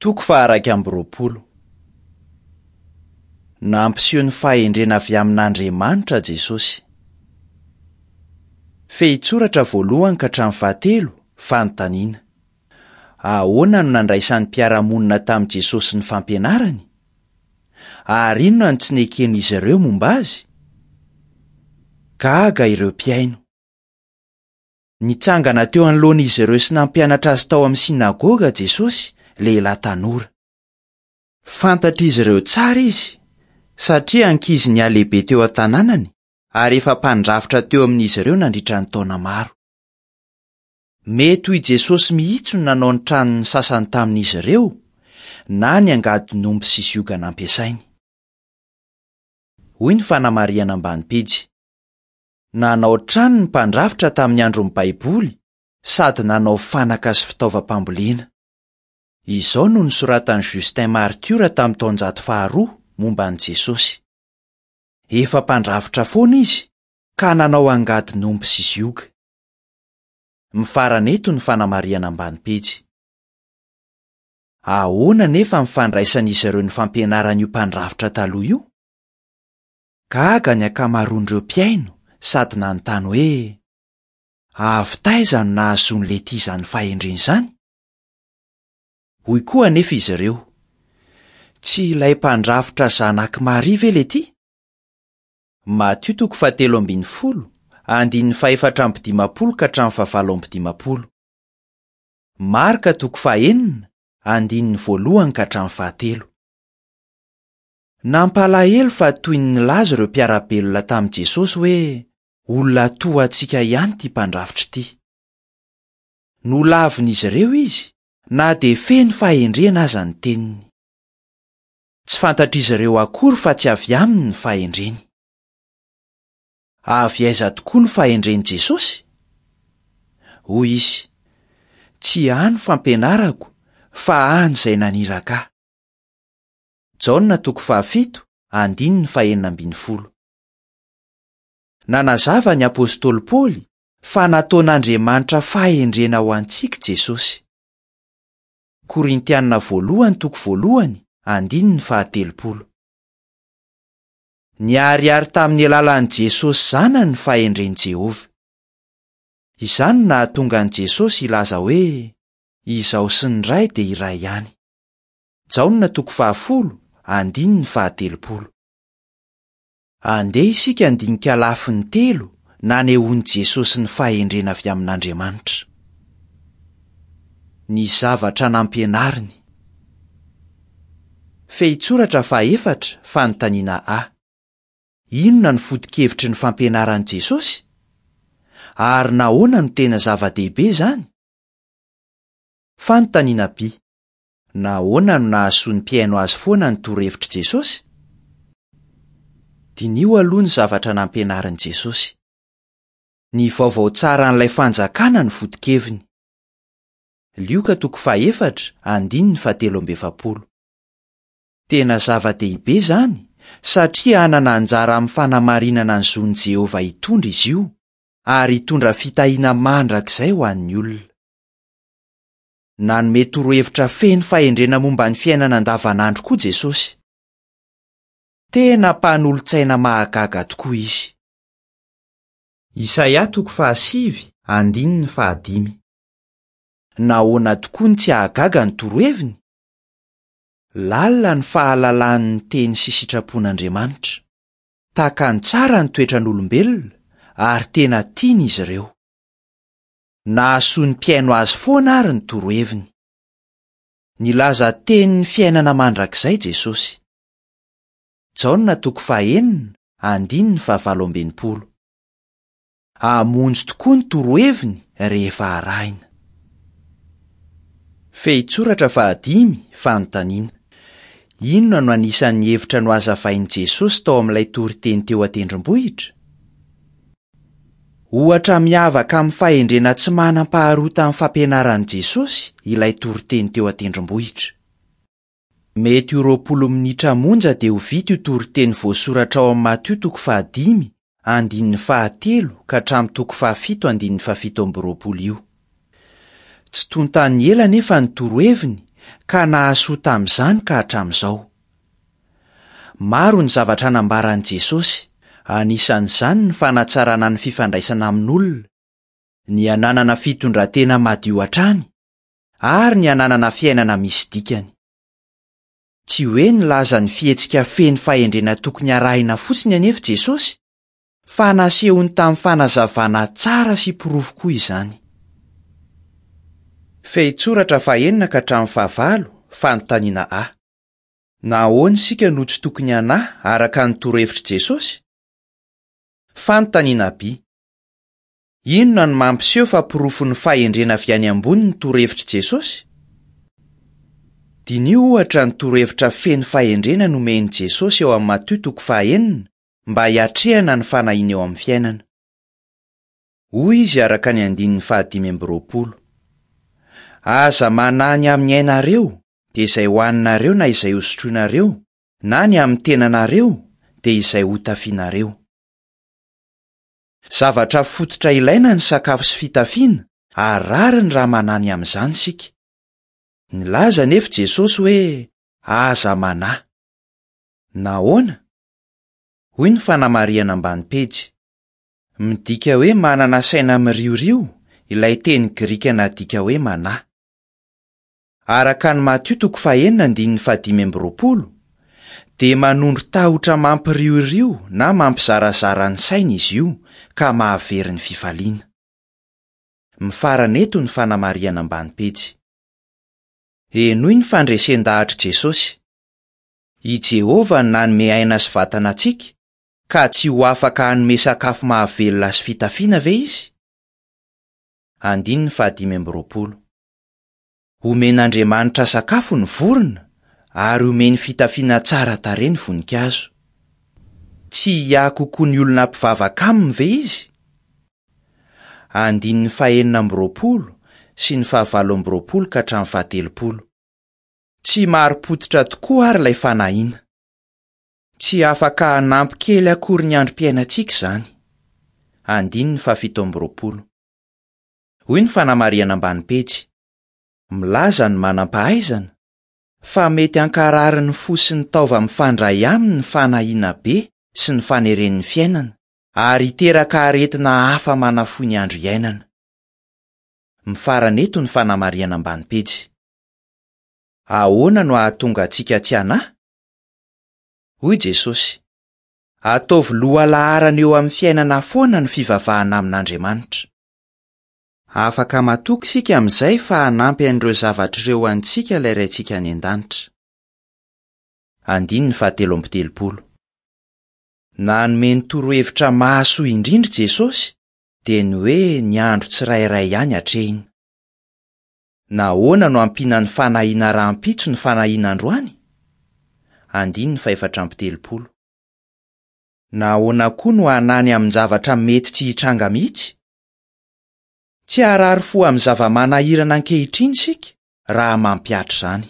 Toko faha-21. Nampiseho ny fahendrena avy amin'Andriamanitra Jesosy. Fehintsoratra voalohany ka hatramin'ny fahatelo, fanontaniana. Ahoana no nandraisan'ny mpiara-monina tamin'i Jesosy ny fampianarany? Ary inona no tsy neken'izy ireo momba azy? Gaga ireo mpihaino. Nitsangana teo anoloan'izy ireo sy nampianatra azy tao amin'ny synagoga Jesosy, lehilahy tanora. Fantatr'izy ireo tsara izy, satria ankizy nihalehibe teo an-tanànany ary efa mpandrafitra teo amin'izy ireo nandritra ny taona maro. Mety ho i Jesosy mihitsy no nanao ny tranon'ny sasany tamin'izy ireo, na ny angadin'omby sy zioga nampiasainy. Hoy ny fanamarihana ambany pejy. Nanao trano ny mpandrafitra tamin'ny andron'ny Baiboly sady nanao fanaka sy fitaovam-pambolena. Izao no nosoratan'i Justin Martiora tamin'ny taonjato faharoa momba an'i Jesosy, Efa mpandrafitra foana izy ka nanao angadin'omby sy zioga. Mifarana eto ny fanamarihana ambany pejy. Ahoana anefa ny fandraisan'izy ireo ny fampianaran'io mpandrafitra taloha io? Gaga ny ankamaroan'ireo mpihaino sady nanontany hoe, Avy taiza no nahazoan'i Letty izany fahendrena izany? Hoy koa anefa izy ireo, Tsy ilay mpandrafitra zanak'i Maria ve Letty? Matio toko fahatelo ambin'ny folo, andininy fahefatra amby dimampolo ka hatramin'ny fahavalo amby dimampolo. Marka toko fahenina, andininy voalohany ka hatramin'ny fahatelo. Nampalahelo fa toy ny nilaza ireo mpiara-belona tamin'i Jesosy hoe olona toa antsika ihany ity mpandrafitra ity. Nolavin'izy ireo izy na dia feno fahendrena aza ny teniny. Tsy fantatr'izy ireo akory fa tsy avy aminy ny fahendreny. Avy aiza tokoa ny fahendren'i Jesosy? Hoy izy, Tsy ahy ny fampianarako, fa an' izay naniraka ahy. Jaona toko fahafito, andininy fahenina ambin'ny folo. Nanazava ny apostoly Paoly fa nataon'Andriamanitra fahendrena ho antsika Jesosy. Korintiana voalohany toko voalohany, andininy fahatelopolo. Niharihary tamin'ny alalan'i Jesosy Zanany ny fahendren'i Jehovah. Izany no nahatonga an'i Jesosy hilaza hoe, Izaho sy ny Ray dia iray ihany. Jaona toko fahafolo, andininy fahatelopolo. Andeha isika handinika lafiny telo nanehoan'i Jesosy ny fahendrena avy amin'Andriamanitra. Ny zavatra nampianariny. Fehintsoratra fahaefatra, fanontaniana A. Inona no foto-kevitry ny fampianaran'i Jesosy? Ary nahoana no tena zava-dehibe izany? Fanontaniana B. Nahoana no nahasoa ny mpihaino azy foana ny torohevitr'i Jesosy? Diniho aloha ny zavatra nampianarin'i Jesosy. Ny vaovao tsaran'ilay Fanjakana no foto-keviny. Lioka toko fahefatra, andininy fahatelo amby efapolo. Tena zava-dehibe izany, satria hanana anjara amin'ny fanamarinana ny zon'i Jehovah hitondra izy io, ary hitondra fitahiana mandrakizay ho an'ny olona. Nanome torohevitra feno fahendrena momba ny fiainana andavanandro koa Jesosy. Tena Mpanolo-tsaina mahagaga tokoa izy! Isaia toko fahasivy, andininy fahadimy. Nahoana tokoa no tsy hahagaga ny toroheviny? Lalina ny fahalalany ny teny sy sitrapon'Andriamanitra. Takany tsara ny toetran'olombelona ary tena tiany izy ireo. Nahasoa ny mpihaino azy foana àry ny toroheviny. Nilaza tenin'ny fiainana mandrakizay Jesosy. Jaona toko fahenina, andininy fahavalo amby enimpolo. Hamonjy tokoa ny toroheviny rehefa arahina. Fehintsoratra fahadimy, Fanontaniana. Inona no anisan'ny hevitra nohazavain'i Jesosy tao amin'ilay toriteny teo an-tendrombohitra? Ohatra miavaka amin'ny fahendrena tsy manam-paharoa tamin'ny fampianaran'i Jesosy ilay toriteny teo an-tendrombohitra. Mety ho 20 minitra monja dia ho vita io toriteny voasoratra ao amin'ny Matio toko fahadimy, andininy fahatelo ka hatramin'ny toko fahafito andininy fahafito amby roapolo io. Tsy tontan'ny ela anefa ny toroheviny ka nahasoa tamin'izany ka hatramin'izao. Maro ny zavatra nambaran'i Jesosy, anisan'izany ny fanatsarana ny fifandraisana amin'olona, ny hananana fitondran-tena madio hatrany, ary ny hananana fiainana misy dikany. Tsy hoe nilaza ny fihetsika feno fahendrena tokony harahina fotsiny anefa Jesosy, fa nasehony tamin'ny fanazavana tsara sy porofo koa izany. Fehintsoratra fahenina ka hatramin'ny fahavalo, fanontaniana A. Nahoana isika no tsy tokony hanahy araka ny torohevitr'i Jesosy? Fanontaniana B. Inona no mampiseho fa porofon'ny fahendrena avy any ambony ny torohevitr'i Jesosy? Diniho, ohatra, ny torohevitra feno fahendrena nomen'i Jesosy ao amin'ny Matio toko fahaenina mba hiatrehana ny fanahiana eo amin'ny fiainana. Hoy izy araka ny andininy fahadimy amby roapolo, Aza manahy ny amin'ny ainareo, dia izay hohaninareo na izay hosotroinareo, na ny amin'ny tenanareo, dia izay hotafianareo. Zavatra fototra ilaina ny sakafo sy fitafiana ary rariny raha manahy ny amin'izany isika. Nilaza anefa Jesosy hoe, Aza manahy. Nahoana? Hoy ny fanamarihana ambany pejy. Midika hoe manana saina miriorio ilay teny grika nadika hoe manahy. Araka ny Matio toko fahenina andininy fahadimy amby roapolo, dia manondro tahotra mampiriorio na mampizarazara ny saina izy io ka mahavery ny fifaliana. Mifarana eto ny fanamarihana ambany pejy. Henoy ny fandresen-dahatr'i Jesosy. I Jehovah no nanome aina sy vatana antsika, ka tsy ho afaka hanome sakafo mahavelona sy fitafiana ve izy? Andininy fahadimy amby roapolo. Omen'Andriamanitra sakafo ny vorona ary omeny fitafiana tsara tarehy ny voninkazo. Tsy hiahy kokoa ny olona mpivavaka aminy ve izy? Andininy fahenina amby roapolo sy ny fahavalo amby roapolo ka hatramin'ny fahatelopolo. Tsy marim-pototra tokoa àry ilay fanahiana. Tsy afaka hanampy kely akory ny androm-piainantsika izany. Andininy fahafito amby roapolo. Hoy ny fanamarihana ambany pejy, Milaza ny manam-pahaizana fa mety hankarary ny fo sy ny taova mifandray aminy ny fanahiana be sy ny faneren'ny fiainana, ary hiteraka aretina hafa manafohy ny andro iainana. Mifarana eto ny fanamarihana ambany pejy. Ahoana no hahatonga antsika tsy hanahy? Hoy Jesosy, Ataovy lohalaharana eo amin'ny fiainana foana ny fivavahana amin'Andriamanitra. Afaka matoky isika amin'izay fa hanampy an'ireo zavatra ireo antsika ilay Raintsika any An-danitra. Andininy fahatelo amby telopolo. Nanome ny torohevitra mahasoa indrindra i Jesosy, dia ny hoe ny andro tsirairay ihany atrehina. Nahoana no ampiana ny fanahiana rahampitso ny fanahiana androany? Andininy fahefatra amby telopolo. Nahoana koa no hanany amin-javatra mety tsy hitranga mihitsy? Tsy harary fo amin'ny zava-manahirana ankehitriny isika raha mampihatra izany.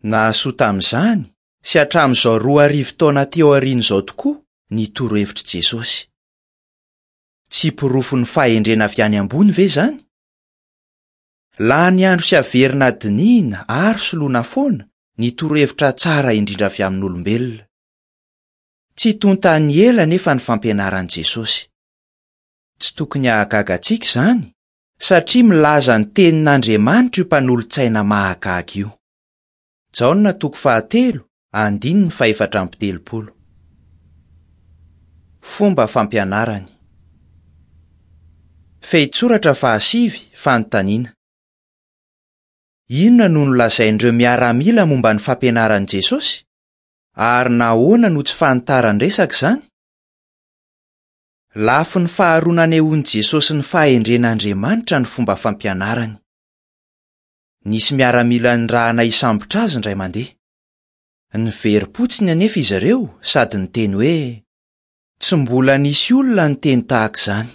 Nahasoa tamin'izany sy hatramin'izao 2000 taona aty aoriana izao tokoa ny torohevitr'i Jesosy. Tsy porofon'ny fahendrena avy any ambony ve izany? Lany andro sy averina dinihina ary soloina foana ny torohevitra tsara indrindra avy amin'olombelona. Tsy tontan'ny ela anefa ny fampianaran'i Jesosy. Tsy tokony hahagaga antsika izany, satria milaza ny tenin'Andriamanitra io mpanolo-tsaina mahagaga io. Jaona toko fahatelo, andininy fahefatra amby telopolo. Fomba fampianarany. Fehintsoratra fahasivy, fanontaniana. Inona no nolazain'ireo miaramila momba ny fampianaran'i Jesosy, ary nahoana no tsy fanitaran-dresaka izany? Lafiny faharoa nanehoan'i Jesosy ny fahendren'Andriamanitra ny fomba fampianarany. Nisy miaramila nirahana hisambotra azy indray mandeha. Niverim-potsiny anefa izy ireo sady niteny hoe, Tsy mbola nisy olona niteny tahaka izany.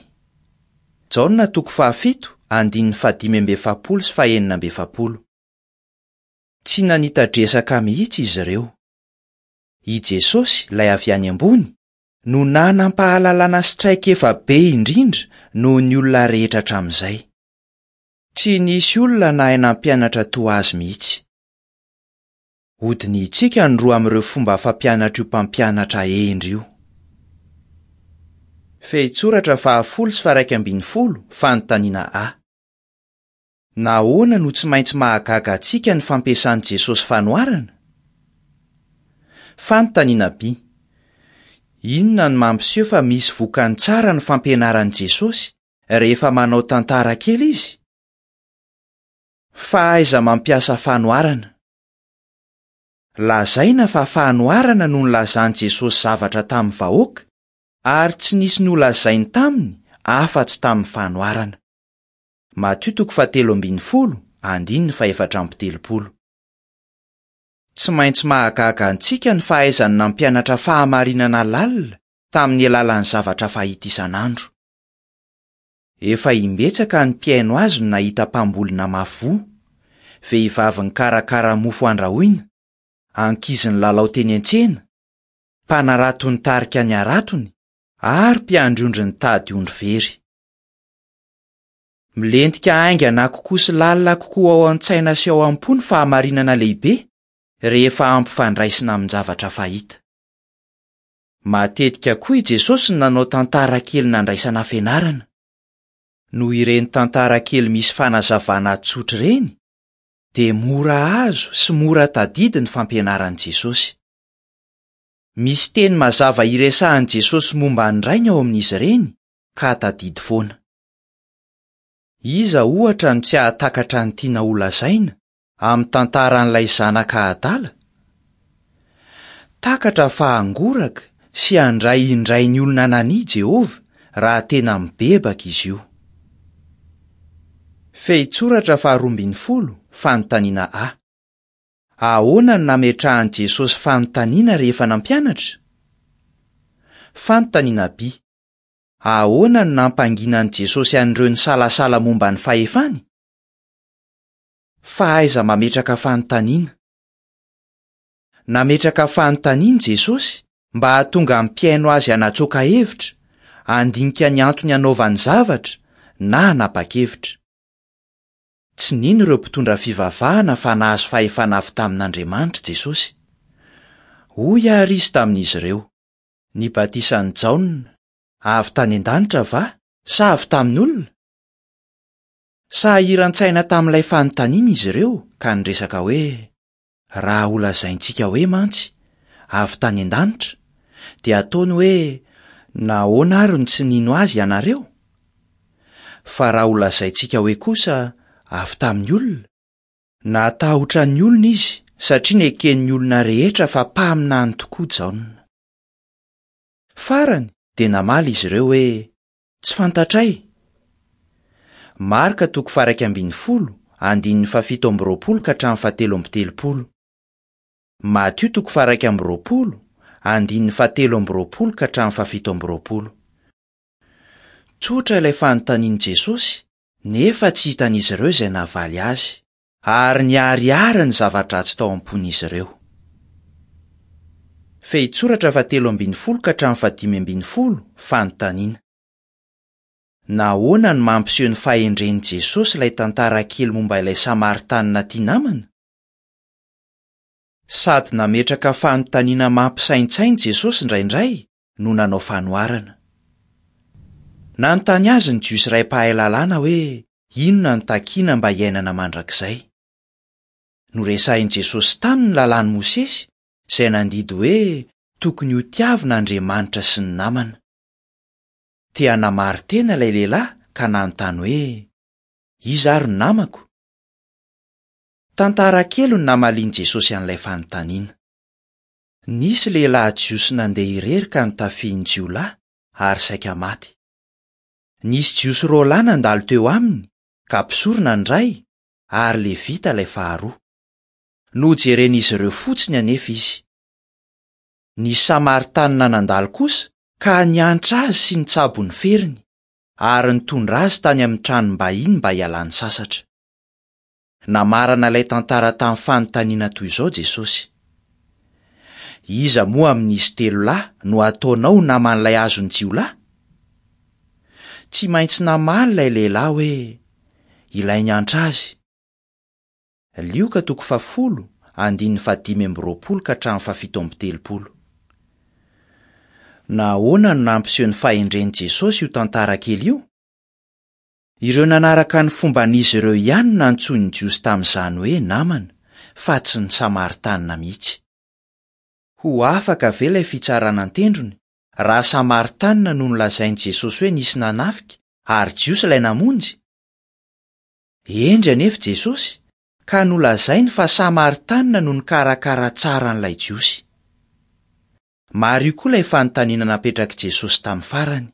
Jaona toko fahafito, andininy fahadimy amby efapolo sy fahenina amby efapolo. Tsy nanita-dresaka mihitsy izy ireo. I Jesosy, ilay avy any ambony, no nanam-pahalalana sy traikefa be indrindra noho ny olona rehetra hatramin'izay. Tsy nisy olona nahay nampianatra toa azy mihitsy. Hodinihintsika ny roa amin'ireo fomba fampianatr'io mpampianatra hendry io. Fehintsoratra fahafolo sy faharaika ambinifolo, fanontaniana A. Nahoana no tsy maintsy mahagaga antsika ny fampiasan'i Jesosy fanoharana? Fanontaniana B. Inona no mampiseho fa misy vokany tsara ny fampianaran'i Jesosy rehefa manao tantara kely izy? Fahaiza-mampiasa fanoharana. Lazaina fa fanoharana no nilazan'i Jesosy zavatra tamin'ny vahoaka, ary tsy nisy nolazainy taminy afa-tsy tamin'ny fanoharana. Matio toko fahatelo ambinifolo, andininy fahefatra amby telopolo. Tsy maintsy mahagaga antsika ny fahaizany nampianatra fahamarinana lalina tamin'ny alalan'ny zavatra fahita isan'andro. Efa imbetsaka ny mpihaino azy no nahita mpamboly namafy voa, vehivavy nikarakara mofo andrahoina, ankizy nilalao teny an-tsena, mpanarato nitarika ny haratony, ary mpiandry ondry nitady ondry very. Milentika haingana kokoa sy lalina kokoa ao an-tsaina sy ao am-po ny fahamarinana lehibe rehefa ampifandraisina amin-javatra fahita. Matetika koa i Jesosy no nanao tantara kely nandraisana fianarana. Noho ireny tantara kely misy fanazavana tsotra ireny, dia mora azo sy mora tadidy ny fampianaran'i Jesosy. Misy teny mazava iresahan'i Jesosy momba ny Rainy ao amin'izy ireny, ka tadidy foana. Iza, ohatra, no tsy hahatakatra ny tiana holazaina amin'ny tantaran'ilay zanaka adala? Takatra fa hangoraka sy handray indray ny olona nania Jehovah raha tena mibebaka izy io. Fehintsoratra faharoa ambinifolo, Fanontaniana A. Ahoana no nametrahan'i Jesosy fanontaniana rehefa nampianatra? Fanontaniana B. Ahoana no nampanginan'i Jesosy an'ireo nisalasala momba ny fahefany? Fahaiza-mametraka fanontaniana. Nametraka fanontaniana Jesosy mba hahatonga ny mpihaino azy hanatsoaka hevitra, handinika ny antony hanaovany zavatra, na hanapa-kevitra. Tsy nino ireo mpitondra fivavahana fa nahazo fahefana avy tamin'Andriamanitra Jesosy. Hoy àry izy tamin'izy ireo, Ny batisan'i Jaona, avy tany an-danitra va sa avy tamin'olona? Sahiran-tsaina tamin'ilay fanontaniana izy ireo ka niresaka hoe, Raha holazaintsika hoe mantsy, avy tany an-danitra, dia hataony hoe, Nahoana àry no tsy nino azy ianareo? Fa raha holazaintsika hoe kosa, avy tamin'ny olona, Natahotra ny olona izy satria neken'ny olona rehetra fa mpaminany tokoa Jaona. Farany dia namaly izy ireo hoe, Tsy fantatray. Marka toko faha-11, andininy fahafito amby roapolo ka hatramin'ny fahatelo amby telopolo. Matio toko faha-21, andininy fahatelo amby roapolo ka hatramin'ny fahafito amby roapolo. Tsotra ilay fanontanian'i Jesosy, nefa tsy hitan'izy ireo izay nahavaly azy, ary niharihary ny zava-dratsy tao am-pon'izy ireo. Fehintsoratra fahatelo ambinifolo ka hatramin'ny fahadimy ambinifolo, Fanontaniana. Nahoana no mampiseho ny fahendren'i Jesosy ilay tantara kely momba ilay Samaritanina tia namana? Sady nametraka fanontaniana mampisaintsaina Jesosy indraindray no nanao fanoharana. Nanontany azy ny Jiosy iray mpahay lalàna hoe inona no takina mba hiainana mandrakizay. Noresahin'i Jesosy taminy ny Lalàn'i Mosesy, izay nandidy hoe tokony hotiavina Andriamanitra sy ny namana. Te hanamari-tena ilay lehilahy ka nanontany hoe, Iza ary no namako? Tantara kely no namalian'i Jesosy an'ilay fanontaniana. Nisy lehilahy jiosy nandeha irery ka notafihin'ny jiolahy ary saika maty. Nisy Jiosy roa lahy nandalo teo aminy, ka mpisorona ny iray ary Levita ilay faharoa. Nojeren'izy ireo fotsiny anefa izy. Nisy Samaritanina nandalo kosa ka niantra azy sy nitsabo ny feriny, ary nitondra azy tany amin'ny tranom-bahiny mba hialany sasatra. Namarana ilay tantara tamin'ny fanontaniana toy izao Jesosy, Iza moa amin'izy telo lahy no hataonao ho naman'ilay azon'ny jiolahy? Tsy maintsy namaly ilay lehilahy hoe, Ilay niantra azy. Lioka toko fahafolo, andininy fahadimy amby roapolo ka hatramin'ny fahafito amby telopolo. Nahoana no nampiseho ny fahendren'i Jesosy io tantara kely io? Ireo nanaraka ny fomban'izy ireo ihany no nantsoin'ny Jiosy tamin'izany hoe namana, fa tsy ny Samaritanina mihitsy. Ho afaka ve ilay fitsarana an-tendrony, raha Samaritanina no nolazain'i Jesosy hoe nisy nanafika ary Jiosy ilay namonjy? Hendry anefa Jesosy, ka nolazainy fa Samaritanina no nikarakara tsara an'ilay Jiosy. Mariho koa ilay fanontaniana napetrak'i Jesosy tamin'ny farany.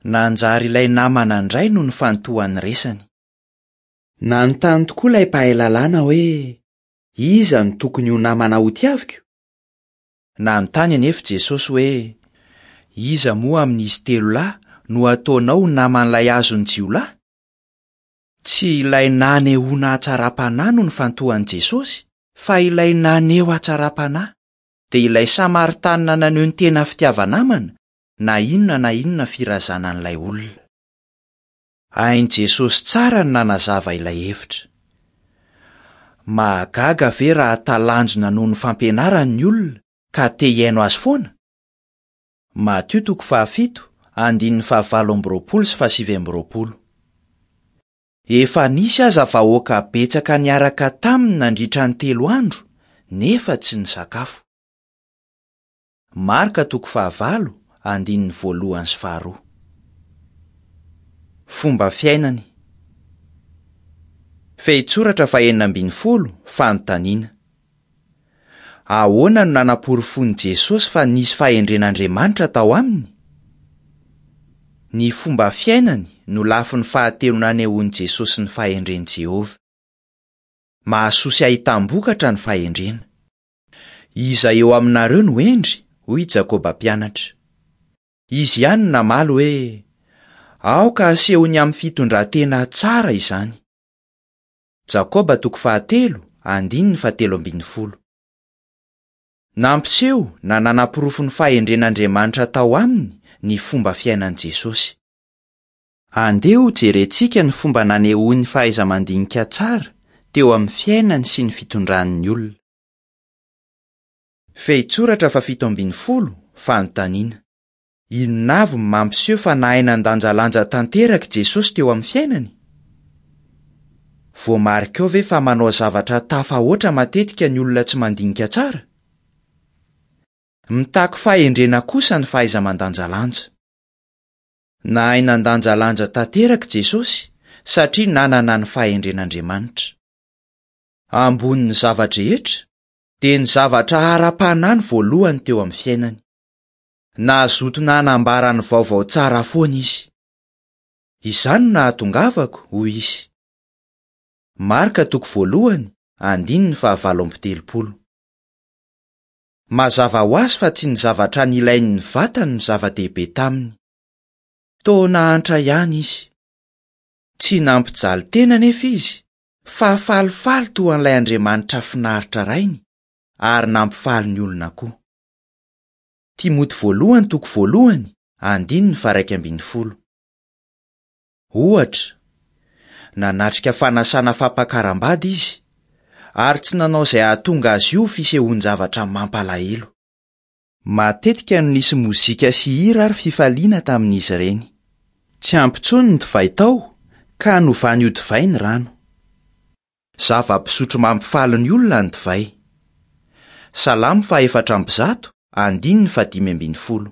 Nanjary ilay namana indray no nifantohan'ny resany. Nanontany tokoa ilay mpahay lalàna hoe, Iza no tokony ho namana hotiaviko? Nanontany anefa Jesosy hoe, Iza moa amin'izy telo lahy no ataonao ho naman'ilay azon'ny jiolahy? Tsy ilay nanehoana hatsaram-panahy no nifantohan'i Jesosy, fa ilay naneho hatsaram-panahy, dia ilay Samaritanina naneho ny tena fitiava-namana, na inona na inona firazanan'ilay olona. Hain'i Jesosy tsara ny nanazava ilay hevitra. Mahagaga ve raha talanjona noho ny fampianarany ny olona ka te hihaino azy foana? Matio toko fahafito, andininy fahavalo amby roapolo sy fahasivy amby roapolo. Efa nisy aza vahoaka betsaka niaraka taminy nandritra ny telo andro, nefa tsy nisakafo. Marka toko fahavalo, andininy voalohany sy faharoa. Fomba fiainany. Fehintsoratra fahenina ambin'ny folo, Fanontaniana. Ahoana no nanaporofoan'i Jesosy fa nisy fahendren'Andriamanitra tao aminy? Ny fomba fiainany no lafiny fahatelo nanehoan'i Jesosy ny fahendren'i Jehovah. Mahasoa sy ahitam-bokatra ny fahendrena. Iza eo aminareo no hendry? hoy i Jakoba mpianatra. Izy ihany no namaly hoe, Aoka hasehony amin'ny fitondran-tena tsara izany. Jakoba toko fahatelo, andininy fahatelo ambin'ny folo. Nampiseho na nanaporofo ny fahendren'Andriamanitra tao aminy ny fomba fiainan'i Jesosy. Andeha hojerentsika ny fomba nanehoany fahaiza-mandinika tsara teo amin'ny fiainany sy ny fitondrany ny olona. Fehintsoratra fahafito ambin'ny folo, Fanontaniana. Inona avy no mampiseho fa nahay nandanjalanja tanteraka i Jesosy teo amin'ny fiainany? Voamarikao ve fa manao zavatra tafahoatra matetika ny olona tsy mandinika tsara? Mitaky fahendrena kosa ny fahaiza-mandanjalanja. Nahay nandanjalanja tanteraka i Jesosy satria nanana ny fahendren'Andriamanitra. Ambonin'ny zava-drehetra, dia ny zavatra ara-panahy no voalohany teo amin'ny fiainany. Nazoto nanambara ny vaovao tsara foana izy. Izany no nahatongavako, hoy izy. Marka toko voalohany, andininy fahavalo amby telopolo. Mazava ho azy fa tsy ny zavatra nilain'ny vatany no zava-dehibe taminy. Toa nahantra ihany izy. Tsy nampijaly tena anefa izy, fa falifaly toa an'ilay Andriamanitra finaritra Rainy, ary nampifaly ny olona koa. Timoty voalohany toko voalohany, andininy faha-iraika ambin'ny folo. Ohatra, nanatrika fanasana fampakaram-bady izy, ary tsy nanao izay hahatonga azy io ho fisehoan-javatra mampalahelo. Matetika no nisy mozika sy hira ary fifaliana tamin'izy ireny. Tsy ampy intsony ny divay tao, ka novany ho divay ny rano. Zava-pisotro mampifaly ny olona ny divay. Salamo faha-104, andininy fahadimy ambin'ny folo.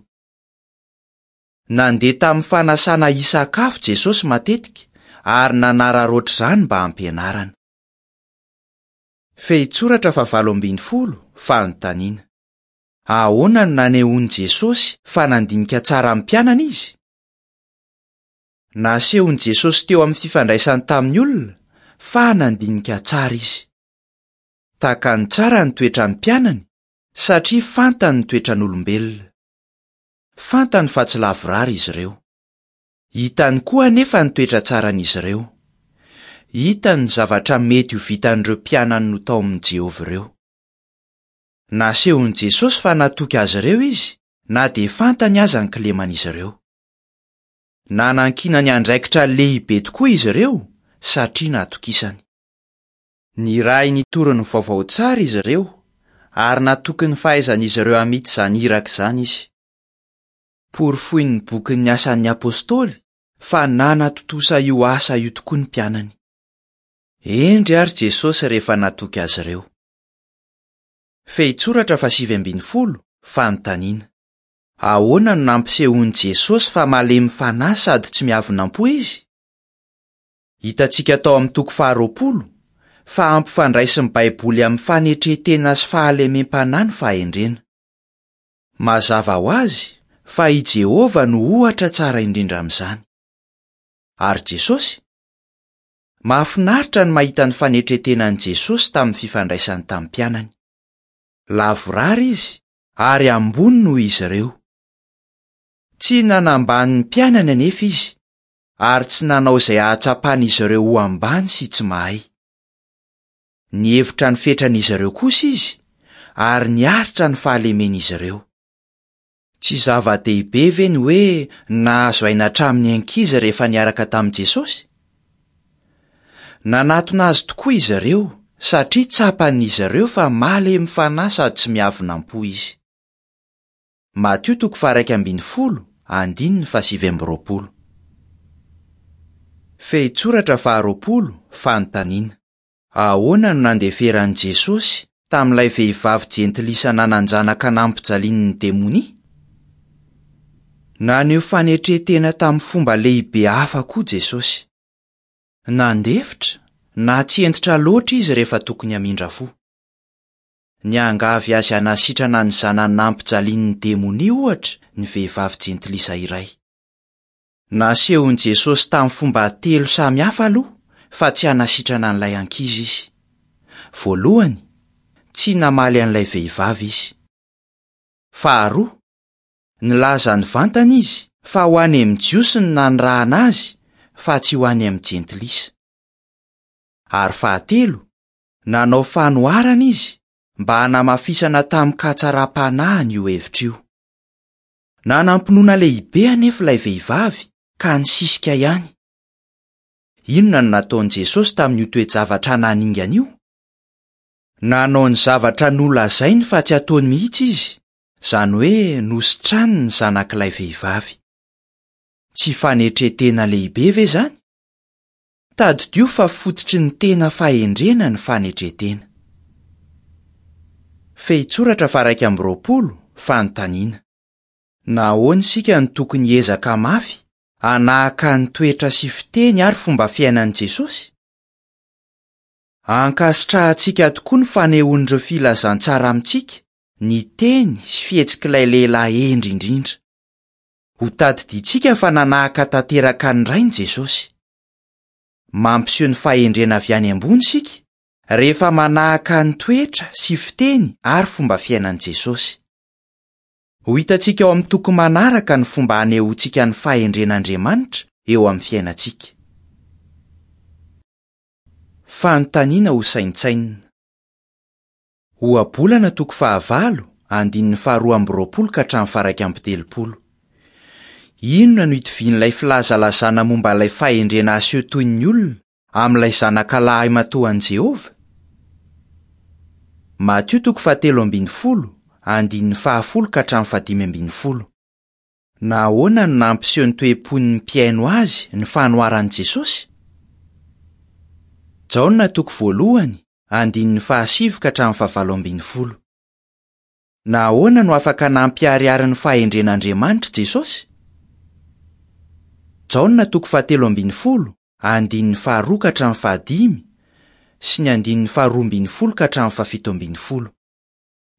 Nandeha tamin'ny fanasana hisakafo Jesosy matetika ary nanararaotra izany mba hampianarana. Fehintsoratra fahavalo ambin'ny folo, Fanontaniana. Ahoana no nanehoan'i Jesosy fa nandinika tsara ny mpianany izy? Nasehon'i Jesosy teo amin'ny fifandraisany tamin'ny olona fa nandinika tsara izy. Takany tsara ny toetran'ny mpianany satria fantany ny toetran'olombelona. Fantany fa tsy lavorary izy ireo. Hitany koa anefa ny toetra tsaran'izy ireo. Hitany ny zavatra mety ho vitan'ireo mpianany notaomin'i Jehovah ireo. Nasehon'i Jesosy fa natoky azy ireo izy, na dia fantany aza ny kileman'izy ireo. Nanankinany andraikitra lehibe tokoa izy ireo, satria natokisany. Nirahiny hitory ny vaovao tsara izy ireo, ary natoky ny fahaizan'izy ireo hamita izany iraka izany izy. Porofoin'ny bokin'ny Asan'ny Apostoly fa nanatontosa io asa io tokoa ny mpianany. Hendry àry Jesosy rehefa natoky azy ireo. Fehintsoratra fahasivy ambin'ny folo, Fanontaniana. Ahoana no nampisehoan'i Jesosy fa malemy fanahy sady tsy miavona am-po izy? Hitantsika tao amin'ny toko faharoapolo fa ampifandraisin'ny Baiboly amin'ny fanetren-tena sy fahalemem-panahy ny fahendrena. Mazava ho azy fa i Jehovah no ohatra tsara indrindra amin'izany. Ary Jesosy? Mahafinaritra ny mahita ny fanetren-tenan'i Jesosy tamin'ny fifandraisany tamin'ny mpianany. Lavorary izy ary ambony noho izy ireo. Tsy nanambany ny mpianany anefa izy, ary tsy nanao izay hahatsapan'izy ireo ho ambany sy tsy mahay. Nihevitra ny fetran'izy ireo kosa izy, ary niaritra ny fahalemen'izy ireo. Tsy zava-dehibe ve ny hoe nahazo aina hatramin'ny ankizy rehefa niaraka tamin'i Jesosy? Nanatona azy tokoa izy ireo, satria tsapan'izy ireo fa malemy fanahy sady tsy miavona am-po izy. Matio toko faha-11, andininy faha-29. Fehintsoratra faharoapolo, Fanontaniana. Ahoana no nandeferan'i Jesosy tamin'ilay vehivavy jentilisa nanan-janaka nampijalian'ny demonia? Naneho fanetren-tena tamin'ny fomba lehibe hafa koa Jesosy. Nandefitra na tsy hentitra loatra izy rehefa tokony hamindra fo. Niangavy azy hanasitrana ny zanany nampijalian'ny demonia, ohatra, ny vehivavy jentilisa iray. Nasehon'i Jesosy tamin'ny fomba telo samy hafa aloha fa tsy hanasitrana an'ilay ankizy izy. Voalohany, tsy namaly an'ilay vehivavy izy. Faharoa, nilaza nivantana izy fa ho any amin'ny Jiosy no nanirahana azy fa tsy ho any amin'ny Jentilisa. Ary fahatelo, nanao fanoharana izy mba hanamafisana tamin-katsaram-panahy an'io hevitra io. Nanam-pinoana lehibe anefa ilay vehivavy ka nisisika ihany. Inona no nataon'i Jesosy tamin'io toe-javatra naningana io? Nanao ny zavatra nolazainy fa tsy hataony mihitsy izy, izany hoe nositraniny ny zanak'ilay vehivavy. Tsy fanetren-tena lehibe ve izany? Tadidio fa fototry ny tena fahendrena ny fanetren-tena. Fehintsoratra faha-21, Fanontaniana. Nahoana isika no tokony hiezaka mafy hanahaka ny toetra sy fiteny ary fomba fiainan'i Jesosy? Ankasitrahantsika tokoa ny fanehoan'ireo filazantsara amintsika ny teny sy fihetsik'ilay lehilahy hendry indrindra. Hotadidiantsika fa nanahaka tanteraka ny Rainy Jesosy. Mampiseho ny fahendrena avy any ambony isika rehefa manahaka ny toetra sy fiteny ary fomba fiainan'i Jesosy. Ho hitantsika ao amin'ny toko manaraka ny fomba hanehoantsika ny fahendren'Andriamanitra eo amin'ny fiainantsika. Fanontaniana hosaintsainina. Ohabolana toko fahavalo, andininy faharoa amby roapolo ka hatramin'ny faha-31. Inona no itovian'ilay filazalazana momba ilay fahendrena aseho toy ny olona amin'ilay zanaka lahimatoan'i Jehovah? Matio toko fahatelo ambin'ny folo, andininy fahafolo ka hatramin'ny fahadimy ambin'ny folo. Nahoana no nampiseho ny toe-pon'ny mpihaino azy ny fanoharan'i Jesosy? Jaona toko voalohany, andininy fahasivy ka hatramin'ny fahavalo ambin'ny folo. Nahoana no afaka nampiharihary ny fahendren'Andriamanitra Jesosy? Jaona toko fahatelo ambin'ny folo, andininy faharoa ka hatramin'ny fahadimy sy ny andininy faharoa ambin'ny folo ka hatramin'ny fahafito ambin'ny folo.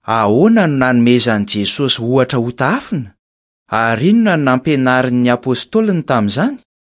Ahoana no nanomezan'i Jesosy ohatra hotahafina, ary inona no nampianariny ny apostoliny tamin'izany?